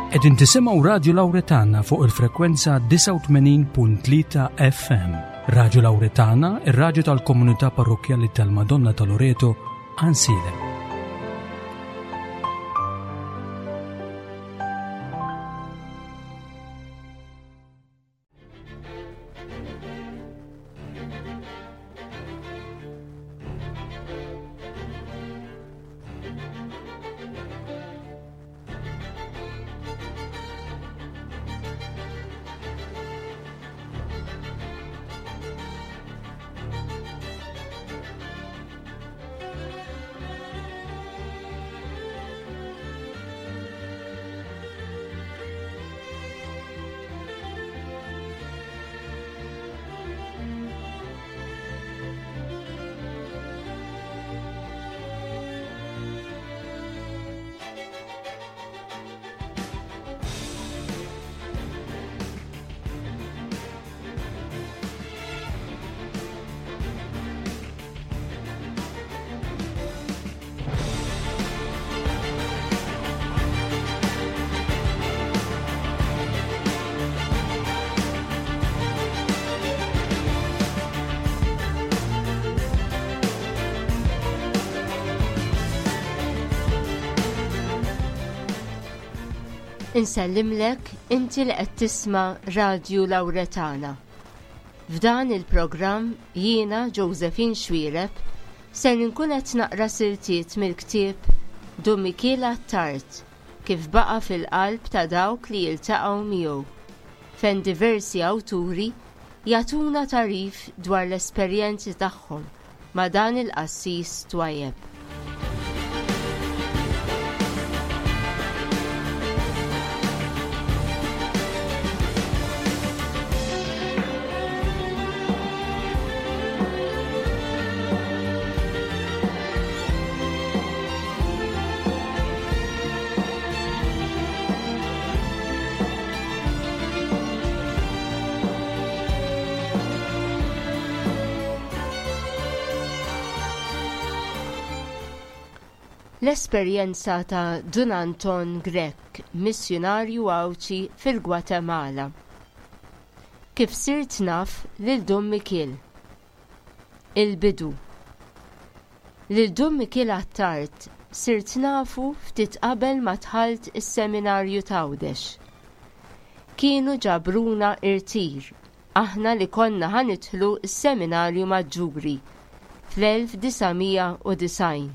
Qegħdin tisimgħu Radju Lawretana fuq il-frekwenza 89.3 FM. Radju Lawretana, ir-radju tal-komunità parrokkjali tal-Madonna ta' Loreto, Għansielem. Insellimlek inti li qed tisma' Radju Lawretana. F'dan il-programm jiena Josephine Xuereb ser inkun qed naqra siltiet mill-ktieb Dun Mikiel Attard kif baqa' fil-qalb ta' dawk li jiltaqgħu miegħu, fejn diversi awturi jagħtuna tagħrif dwar l-esperjenzi tagħhom ma' dan il-qassis twajjeb. L-esperjenza ta' Dun Anton Grech, missjunarju Għawdxi fil-Gwatemala. Kif sirt naf lil Dun Mikiel. Il-bidu. Lil Dun Mikiel Attard sirt nafu ftit qabel ma dħalt is-Seminarju t'Għawdex. Kienu ġabruna irtir aħna li konna ħa nidħlu s-Seminarju Maġġuri fl-1990,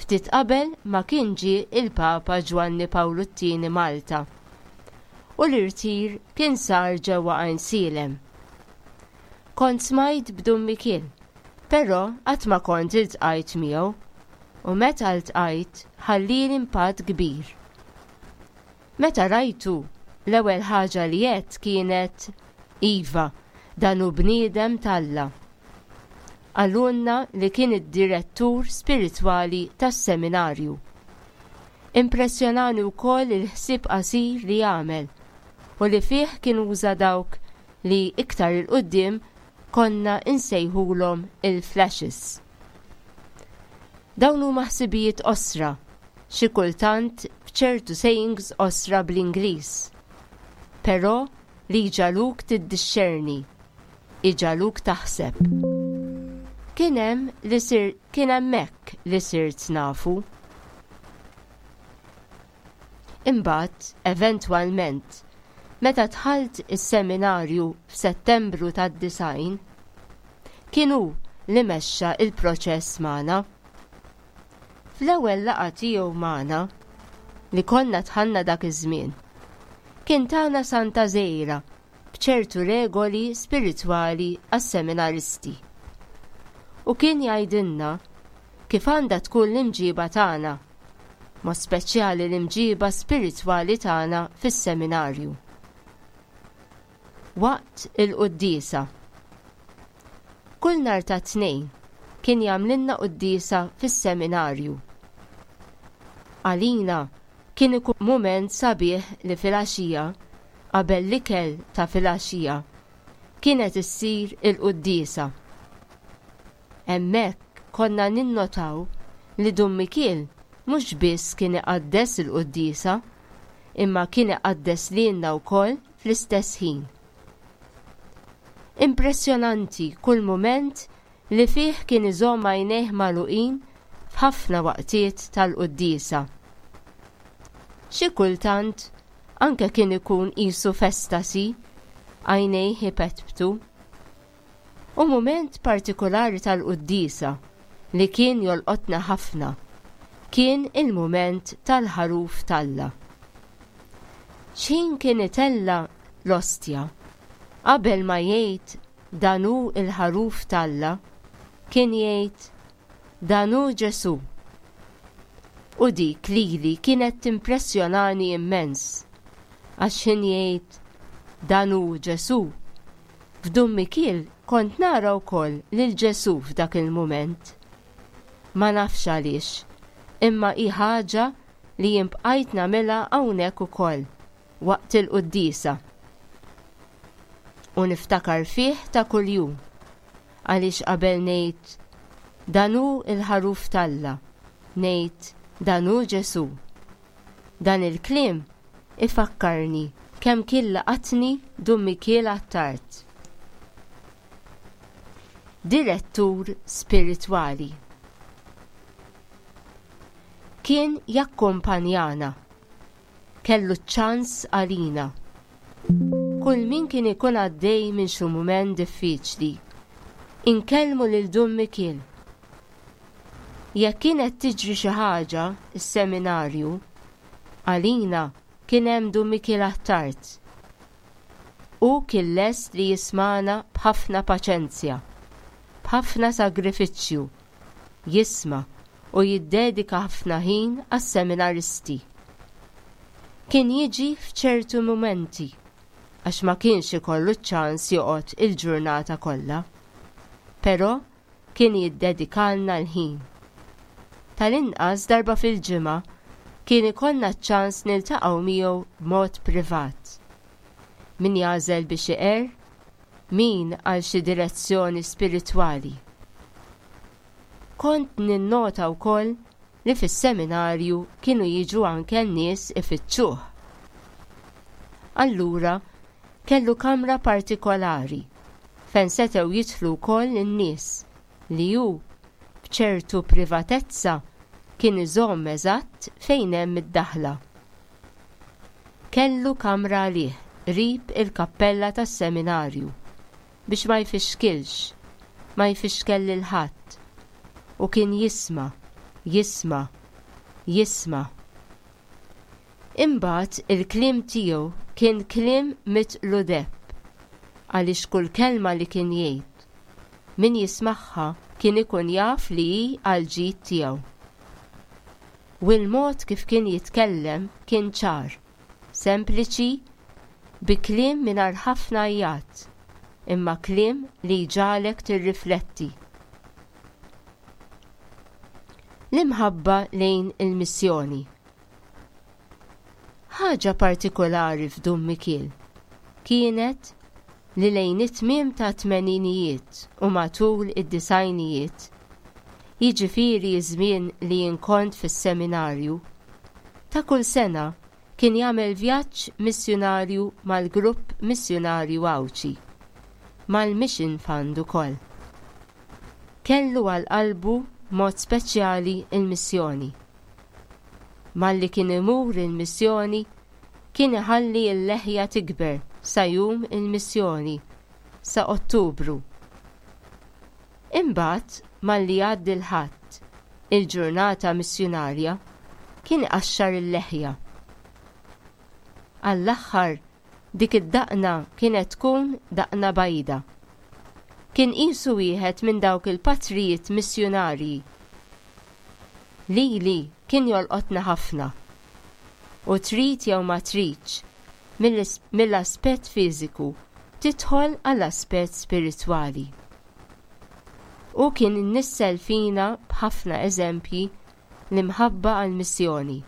ftit qabel ma kien ġie il-Papa Ġwanni Pawlu t-Tieni Malta u l-irtir kien sar ġewwa Għajnsielem. Kont smajt b'Dun Mikiel, però qatt ma kont iltqajt miegħu u meta ltqajt ħallieli impatt kbir. Meta rajtu, l-ewwel ħaġa li għedt kienet, 'Iva, dan hu bniedem t'Alla. Qalulna li kien id-direttur spiritwali tas-seminarju. Impressjonani wkoll il-ħsieb qasir li għamel u li fih kien uża dawk li iktar 'il quddiem konna nsejħulhom il-flashes. Dawn huma ħsibijiet qosra, xi kultant b'ċertu sayings qosra bl-Ingliż. Però li jġagħluk tiddixxerni, iġagħluk taħseb. Kien hemm li sir kien hemmhekk li sirt nafu. Imbagħad, eventwalment, meta dħalt is-seminarju f'Settembru tad-90, kien hu li mexxa l-proċess magħna. Fl-ewwel laqgħa tiegħu magħna, li konna dħalna dak iż-żmien, kien tana santa żgħira b'ċertu regoli spiritwali għas-seminaristi. U kien jgħidilna kif għandha tkun l-imġiba tagħna, mod speċjali l-imġiba spiritwali tagħna fis-seminarju. Waqt il-quddiesa. Kull nhar ta' Tnejn kien jagħmlilna quddiesa fis-seminarju. Għalina kien ikun mument sabiħ li filgħaxija, qabel l-ikel ta' filgħaxija, kienet issir il-quddiesa. Hemmhekk konna ninnotaw li Dun Mikiel mhux biss kien iqaddes il-quddiesa, imma kien iqaddes lilna wkoll fl-istess ħin. Impressjonanti kull mument li fih kien iżomm għajnejh magħluqin f'ħafna waqtiet tal-quddiesa. Xi kultant anke kien ikun qisu f'estasi, għajnejh ipetptu. U mument partikulari tal-quddiesa li kien jolqotna ħafna kien il-mument tal-Ħaruf t'Alla. X'ħin kien itella' l-ostja, qabel ma jgħid Dan hu l-Ħaruf t'Alla, kien jgħid, Dan hu Ġesù. U dik lili kienet timpressjonani immens, għax x'ħin jgħid, Dan hu Ġesù, f'Dun Mikiel kont nara wkoll lil Ġesù f'dak il-mument. Ma nafx għaliex, imma hi ħaġa li jien bqajt nagħmilha hawnhekk ukoll. waqt il-quddiesa. U niftakar fih ta' kuljum, għaliex qabel ngħid, Dan hu l-Ħaruf t'Alla, ngħid, Dan hu Ġesù. Dan il-kliem ifakkarni kemm kien laqatni Dun Mikiel Attard. Direttur spiritwali. Kien jakkumpanjana. Kellu ċ-ċans għalina. Kull min kien ikun għaddej minn xi mument diffiċli, inkellmu lil Dun Mikiel. Jekk kienet tiġri xi ħaġa s-seminarju, għalina kien hemm Dun Mikiel Attard. Hu kien lest li jismagħna b'ħafna paċenzja, b'ħafna sagrifiċċju, jisma' u jiddedika ħafna ħin għas-seminaristi. Kien jiġi f'ċertu mumenti għax ma kienx ikollu ċ-ċans joqgħod il-ġurnata kollha. Però kien jiddedikalna l-ħin. Tal-inqas darba fil-ġimgħa kien ikollna ċ-ċans niltaqgħu miegħu b'mod privat. Min jagħżel biex iqerr, min għal xi direzzjoni spiritwali. Kont ninnota wkoll li fis-seminarju kienu jiġu anke n-nies ifittxuh. Allura kellu kamra partikolari fejn setgħu jidħlu wkoll in-nies li hu, b'ċertu privatezza, kien iżomm eżatt fejn hemm id-daħla. Kellu kamra għalih qrib il-kappella tas-seminarju. biex ma jfixkilx, ma jfixkel lil ħadd. U kien jisma', jisma', jisma'. Imbagħad il-kliem tiegħu kien kliem mitqlu deheb, għaliex kull kelma li kien jgħid, min jismagħha kien ikun jaf li hi għall-ġid tiegħu. U l-mod kif kien jitkellem kien ċar. Sempliċi, bi kliem mingħajr ħafna għajjat, imma kliem li jġagħlek tirrifletti. L-imħabba lejn il-missjoni. Ħaġa partikolari f'Dun Mikiel kienet li lejn it-tmiem tat-tmeninijiet u matul id-disgħinijiet, jiġifieri ż-żmien li jien kont fis-seminarju, ta' kull sena kien jagħmel vjaġġ missjunarju mal-grupp missjunarju Għawdxi, mal-Mission Fund ukoll. Kellu għal qalbu b'mod speċjali l-missjoni. Malli kien imur il-missjoni kien iħalli l-leħja tikber sa jum il-missjoni, sa Ottubru. Imbagħad malli jgħaddi l-Ħadd, il-ġurnata missjunarja, kien iqaxxar il-leħja. Għall-aħħar dik id-daqna kienet tkun daqna bajda. Kien qisu wieħed minn dawk il-patrijiet missjunarji. Lili kien jolqotni ħafna. U trid jew ma tridx, mill-aspett fiżiku tidħol għall-aspett spiritwali. Hu kien innissel fina b'ħafna eżempji l-imħabba għall-missjoni.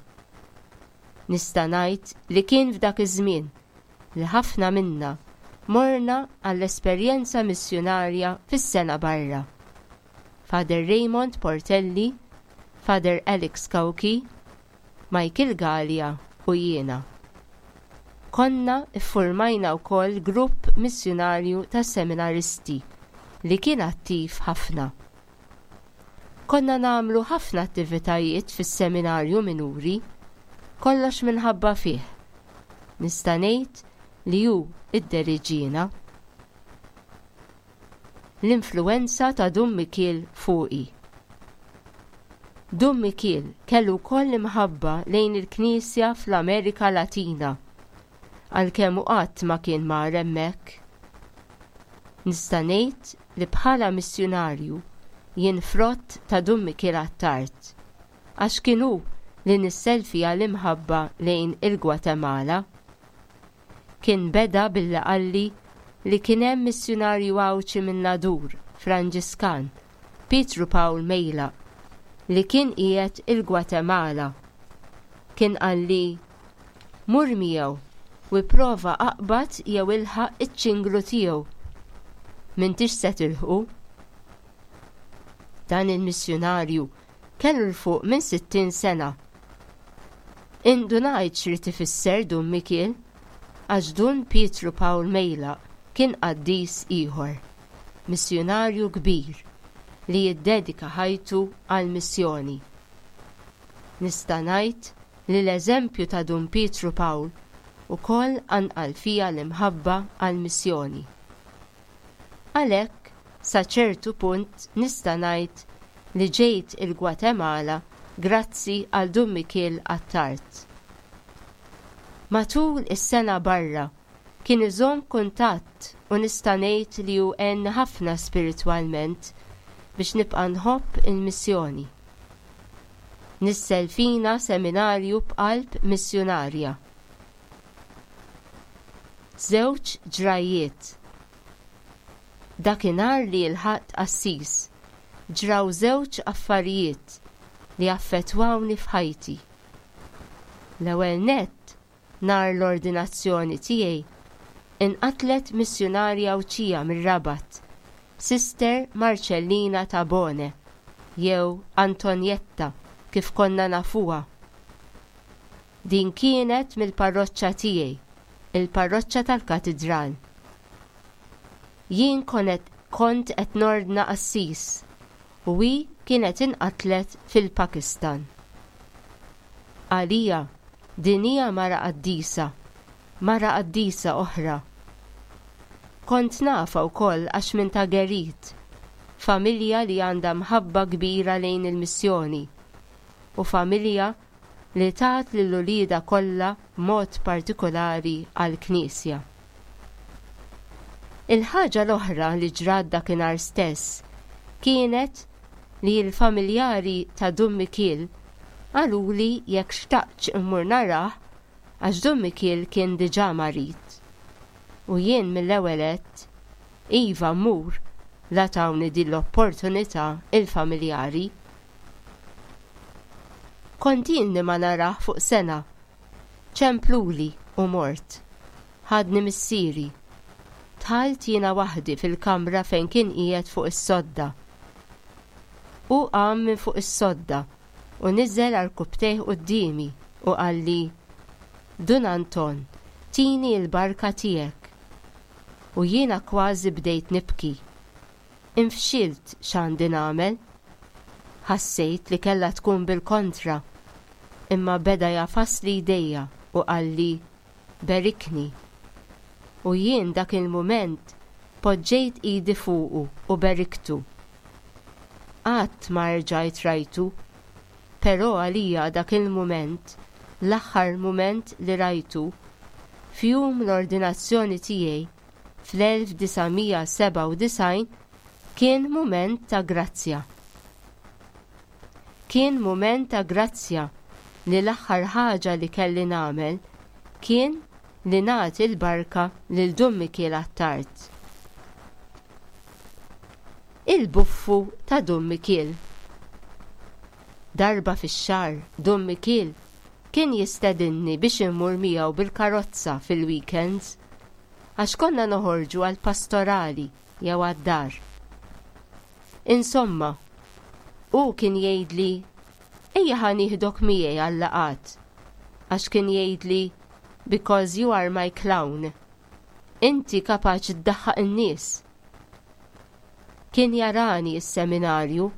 Nista' ngħid li kien f'dak iż-żmien li ħafna minna morna għall-esperjenza missjunarja fis-sena barra. Father Raymond Portelli, Father Alex Cauchi, Michael Galea u jiena. Konna ffurmajna wkoll grupp missjunarju ta' seminaristi li kien attiv ħafna. Konna nagħmlu ħafna attivitajiet fis-seminarju minuri, kollox minħabba fih. Nista' ngħid li hu idderiġiena. L-influwenza ta' Dun Mikiel fuqi. Dun Mikiel kellu wkoll imħabba lejn il-Knisja fl-Amerika Latina, għalkemm hu qatt ma kien mar hemmhekk. Nista' ngħid li bħala missjunarju jien frott ta' Dun Mikiel Attard, għax kien hu li nissel fija l-imħabba lejn il-Gwatemala. Kien beda billi qalli li kien hemm missjunarju Għawdxi min-Nadur, Franġiskan, Pietru Pawl Mejlaq, li kien qiegħed il-Gwatemala. Kien qalli, Mur miegħu u ipprova aqbad jew ilħaq iċ-ċinglu tiegħu. M'intix se tilħqu. Dan il-missjunarju kellu 'l fuq minn 60 sena. Indunajt x'ried ifisser Dun Mikiel, għax Dun Pietru Pawl Mejlaq kien qaddis ieħor, missjunarju kbir li jiddedika ħajtu għall-missjoni. Nista' ngħid li l-eżempju ta' Dun Pietru Pawl ukoll qanqal fija l-imħabba għall-missjoni. Għalhekk, sa ċertu punt nista' ngħid li ġejt il-Gwatemala grazzi għal Dun Mikiel Attard. Matul is-sena barra kien iżomm kuntatt u nista' ngħid li hu għenni ħafna spiritwalment biex nibqa' nħobb il-missjoni. Nissel fina seminarju b'qalb missjunarja. Żewġ ġrajjiet. Dakinhar li lħaqt qassis, ġraw żewġ affarijiet li affettwawni f'ħajti. L-ewwel nett, nhar l-ordinazzjoni tiegħi, inqatlet missjunarja Għawdxija mir-Rabat, Sister Marcellina Tabone, jew Antonietta kif konna nafuha. Din kienet mill-parroċċa tiegħi, il-parroċċa tal-Katidral. Jien konet kont qed nordna qassis u hi kienet inqatlet fil-Pakistan. Għalija din hija mara qaddisa, mara qaddisa oħra. Kont nafha wkoll għax minn ta' Gerit, familja li għandha mħabba kbira lejn il-missjoni u familja li tat lil uliedha kollha b'mod partikulari għall-Knisja. Il-ħaġa l-oħra li ġrat dakinhar stess kienet li l-familjari ta' Dun Mikiel qaluli jekk xtaqtx immur narah għax Dun Mikiel kien diġà marid. U jien mill-ewwel għedt, iva mmur la tawni din l-opportunità il-familjari. Kont ilni ma narah fuq sena. Ċempluli u mort. Ħadni missieri. Dħalt jiena waħdi fil-kamra fejn kien qiegħed fuq is-sodda. Hu qam minn fuq is-sodda u niżel għarkupptejh quddiemi u qalli, Dun Anton, tini l-barka tiegħek. U jiena kważi bdejt nibki. Infxilt x'għandi nagħmel. Ħassejt li kellha tkun bil-kontra. Imma beda jagħfasli jdejja u qalli, Berikni. U jien dak il-mument poġġejt idi fuqu u beriktu. Qatt ma erġajt rajtu. Però għalija dak il-mument, l-aħħar mument li rajtu, f'jum l-ordinazzjoni tiegħi, fl-1997 kien mument ta' grazzja. Kien mument ta' grazzja li l-aħħar ħaġa li kelli nagħmel kien li nagħti l-barka lil Dun Mikiel Attard. Il-buffu ta' Dun Mikiel. Darba fix-xahar Dun Mikiel kien jistedinni biex immur miegħu bil-karozza fil-weekends għax konna noħorġu għall-pastorali jew għad-dar. Insomma, hu kien jgħidli ejja ħa nieħdok miegħi għal-laqgħat għax kien jgħidli Because you are my clown. Inti kapaċi ddaħħaq in-nies. Kien jarani s-seminarju,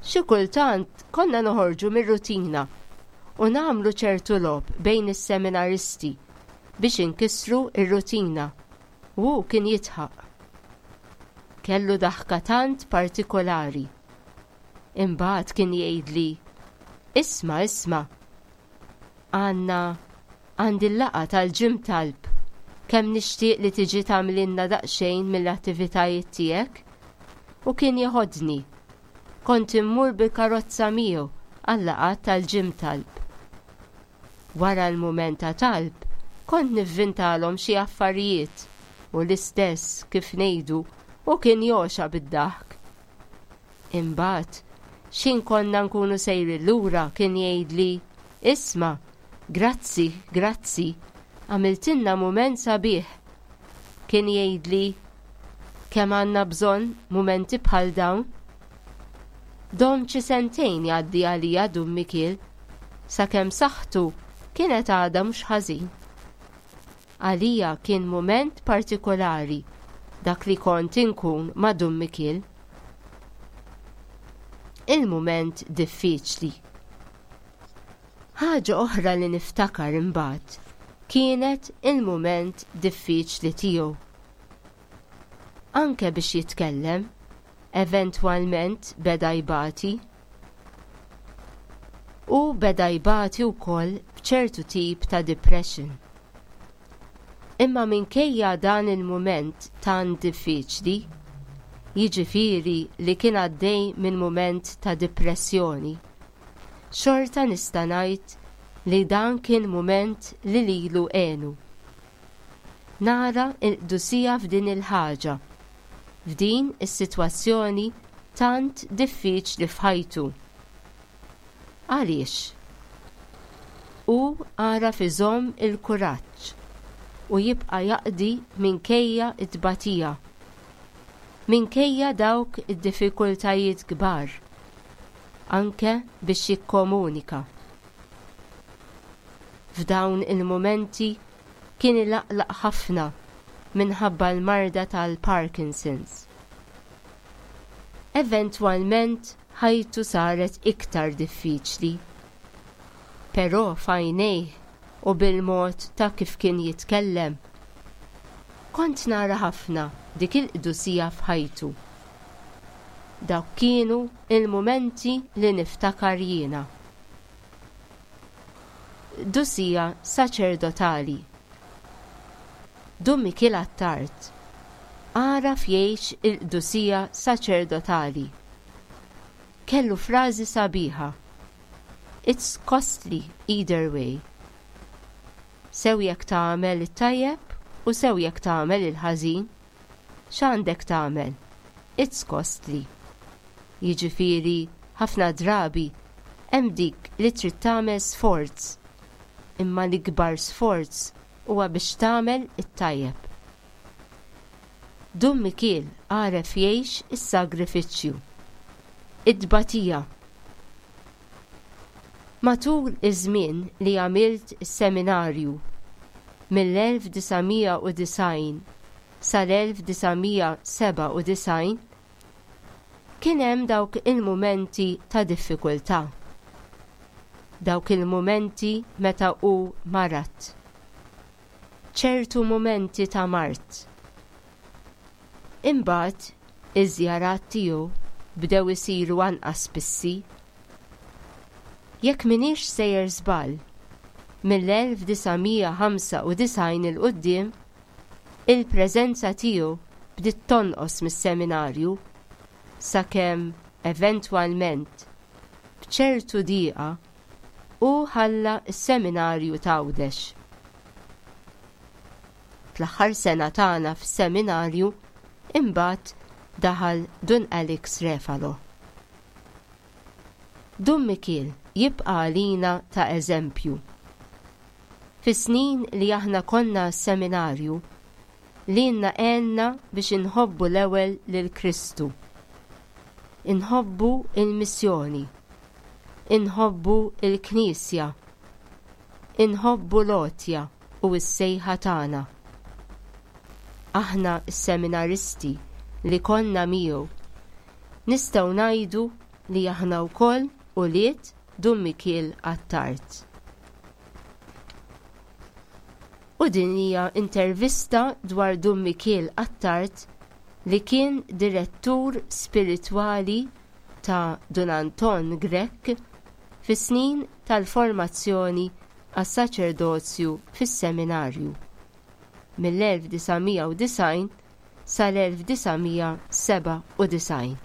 xi kultant konna noħorġu mir-rutina u nagħmlu ċertu logħob bejn is-seminaristi biex inkissru r-rutina u hu kien jidħaq. Kellu daħka tant partikolari. Imbagħad kien jgħidli, Isma' isma', għandna għandi l-laqgħa tal-gym talb, kemm nixtieq li tiġi tagħmlilna daqsxejn mill-attivitajiet tiegħek. U kien jeħodni. Kont immur bil-karozza miegħu għal-laqgħat tal-gym talb. Wara l-mument ta' talb, kont nivvintalhom xi affarijiet u l-istess kif ngħidu u kien jogħxa bid-daħk. Imbagħad, x'ħin konna nkunu sejrin lura kien jgħidli, Isma', grazzi, grazzi, għamiltilna mument sabiħ. Kien jgħidli, Kemm għandna bżonn mumenti bħal dawn. Dom xi sentejn jgħaddi għalija Dun Mikiel, sakemm saħħtu kienet għadha mhux ħażin. Għalija kien mument partikolari dak li kont inkun ma' Dun Mikiel. Il-mument diffiċli. Ħaġa oħra li niftakar imbagħad kienet il-mument diffiċli tiegħu. Anke biex jitkellem, eventwalment beda jbati. Hu beda jbati wkoll b'ċertu tip ta' depression. Imma minkejja dan il-mument tant diffiċli, jiġifieri li kien għaddej minn mument ta' dipressjoni, xorta nista' ngħid li dan kien mument li lilu għenu. Nara l-qdusija f'din il-ħaġa, f'din is-sitwazzjoni tant diffiċli f'ħajtu. Għaliex? Hu għaraf iżomm il-kuraġġ u jibqa' jaqdi minkejja t-tbatija, minkejja dawk id-diffikultajiet kbar, anke biex jikkomunika. F'dawn il-mumenti kien ilaqlaq ħafna minħabba l-marda tal-Parkinson's. Eventwalment ħajtu saret iktar diffiċli. Però f'għajnejh u bil-mod ta' kif kien jitkellem, kont nara ħafna dik il-qdusija f'ħajtu. Dawk kienu l-mumenti li niftakar jiena. Qdusija saċerdotali. Dun Mikiel Attard għaraf jgħix il-qdusija saċerdotali. Kellu frażi sabiħa, It's costly either way. Sew jekk tagħmel it-tajjeb u sew jekk tagħmel il-ħażin, x'għandek tagħmel? It's costly. Jiġifieri ħafna drabi hemm dik li trid tagħmel sforz, imma l-ikbar sforz huwa biex tagħmel it-tajjeb. Dun Mikiel għaref jgħix is-sagrifiċċju. It-tbatija. Matul iż-żmien li għamilt is-seminarju, mill-1990 sal-1997, kien hemm dawk il-mumenti ta' diffikultà. Dawk il-mumenti meta hu marad. Ċertu mumenti ta' mard. Imbagħad iż-żjarat tiegħu bdew isiru anqas spissi. Jekk m'iniex sejjer żball, mill-1995 'il quddiem Il-preżenza tiegħu bdiet tonqos mis-seminarju sakemm eventwalment, b'ċertu dieqa, hu ħalla s-seminarju t'Għawdex. Fl-aħħar sena tagħna fis-seminarju imbagħad daħal Dun Alex Refalo. Dun Mikiel jibqa' għalina ta' eżempju. Fis-snin li aħna konna s-seminarju, lilna għenna biex inħobbu l-ewwel lil Kristu. Inħobbu l-missjoni. Inħobbu l-Knisja. Inħobbu l-għotja. u s-sejħa tagħna. Aħna s-seminaristi li konna miegħu nistgħu ngħidu li aħna wkoll ulied Dun Mikiel Attard. U din hija intervista dwar Dun Mikiel Attard li kien direttur spiritwali ta' Dun Anton Grech fis-snin tal-formazzjoni għas-saċerdozju fis-Seminarju, mill-1990 sal-1997.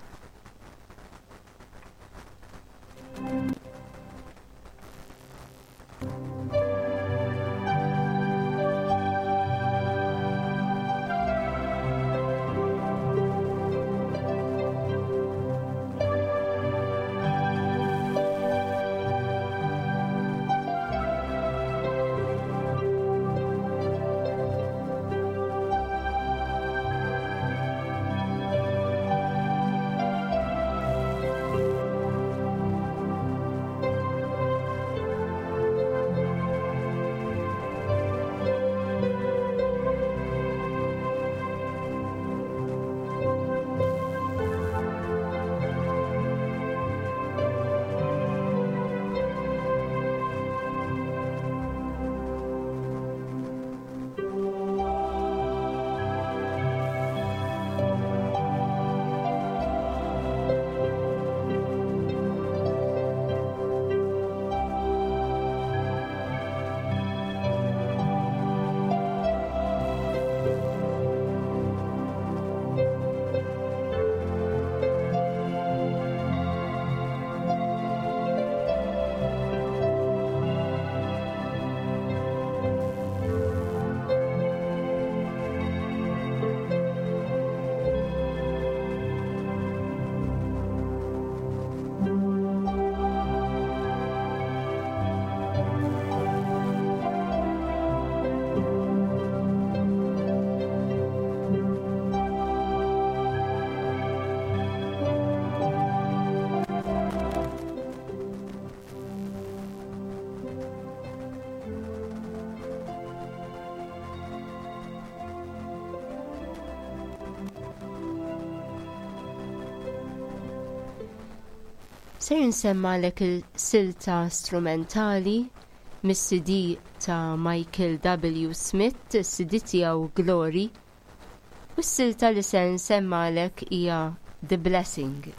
Ser insemmalek il-silta strumentali mis-CD ta' Michael W. Smith, is-CD tiegħu Glory, u s-silta li se nsemmalek hija The Blessing.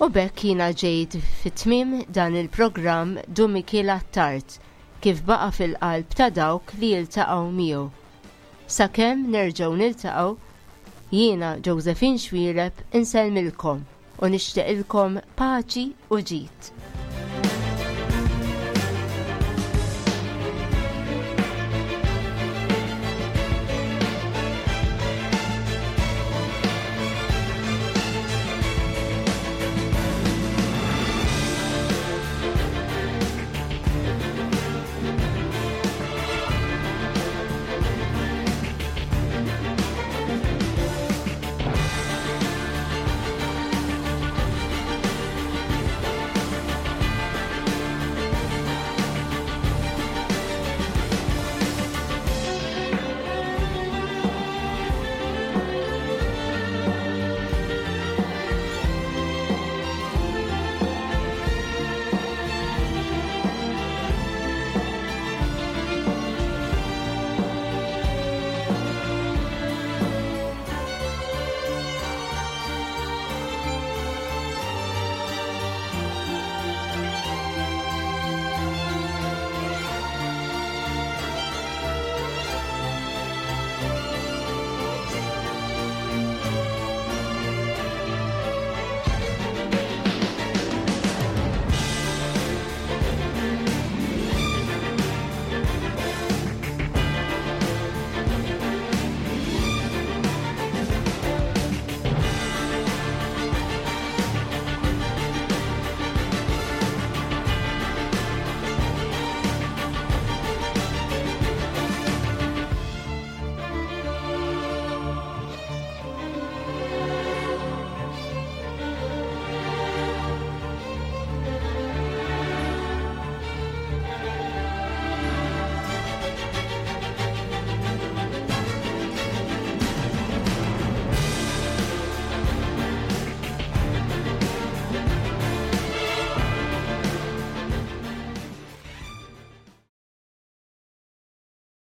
U b'hekk jiena ġejt fi tmiem dan il-programm Dun Mikiel Attard kif baqa' fil-qalb ta' dawk li jiltaqgħu miegħu. Sakemm nerġgħu niltaqgħu, jiena Josephine Xuereb insellmilkom u nixtieqilkom paċi u ġid.